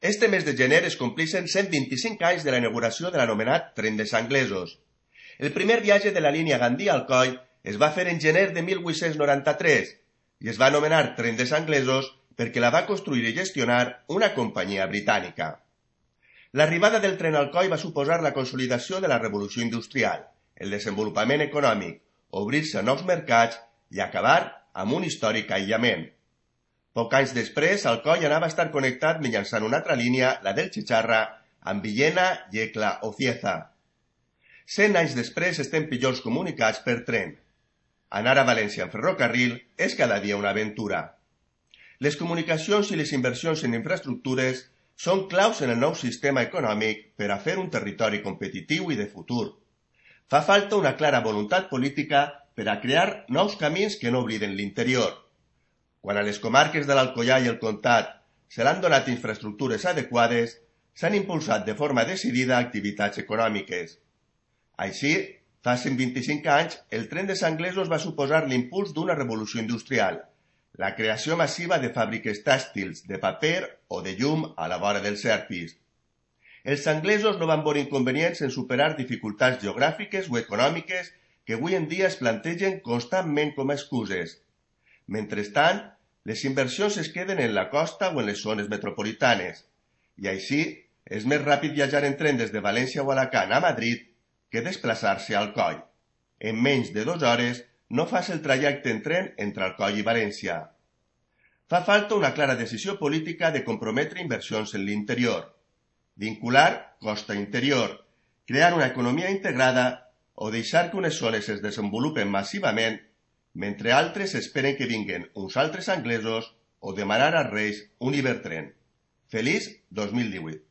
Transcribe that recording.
Este mes de gener es complixen 125 anys de la inauguració de l'anomenat Tren dels Anglesos. El primer viatge de la línia Gandia-Alcoi es va fer en gener de 1893 i es va anomenar Tren dels Anglesos perquè la va construir i gestionar una companyia britànica. L'arribada del tren a Alcoi va suposar la consolidació de la revolució industrial, el desenvolupament econòmic, obrir-se a nous mercats i acabar amb un històric aïllament. Poc anys després, Alcoi anava a estar connectat mitjançant una altra línia, la del Chicharra, amb Villena, Yecla o Cieza. 100 anys després estem pitjors comunicats per tren. Anar a València en ferrocarril és cada dia una aventura. Les comunicacions i les inversions en infraestructures són claus en el nou sistema econòmic per a fer un territori competitiu i de futur. Fa falta una clara voluntat política per a crear nous camins que no obliden l'interior. Quan a les comarques de l'Alcoià i el Comtat se l'han donat infraestructures adequades, s'han impulsat de forma decidida activitats econòmiques. Així, fa 125 anys, el tren dels anglesos va suposar l'impuls d'una revolució industrial, la creació massiva de fàbriques tèxtils, de paper o de llum a la vora dels Serpis. Els anglesos no van veure inconvenients en superar dificultats geogràfiques o econòmiques que avui en dia es plantegen constantment com a excuses. Mentrestant, les inversions es queden en la costa o en les zones metropolitanes, i així és més ràpid viatjar en tren des de València o Alacant a Madrid que desplaçar-se a Alcoi. En menys de 2 hores no fas el trajecte en tren entre Alcoi i València. Fa falta una clara decisió política de comprometre inversions en l'interior, vincular costa interior, crear una economia integrada o deixar que unes zones es desenvolupen massivament mentre altres esperen que vinguen uns altres anglesos o demanar als reis un Ibertren. Feliç 2018.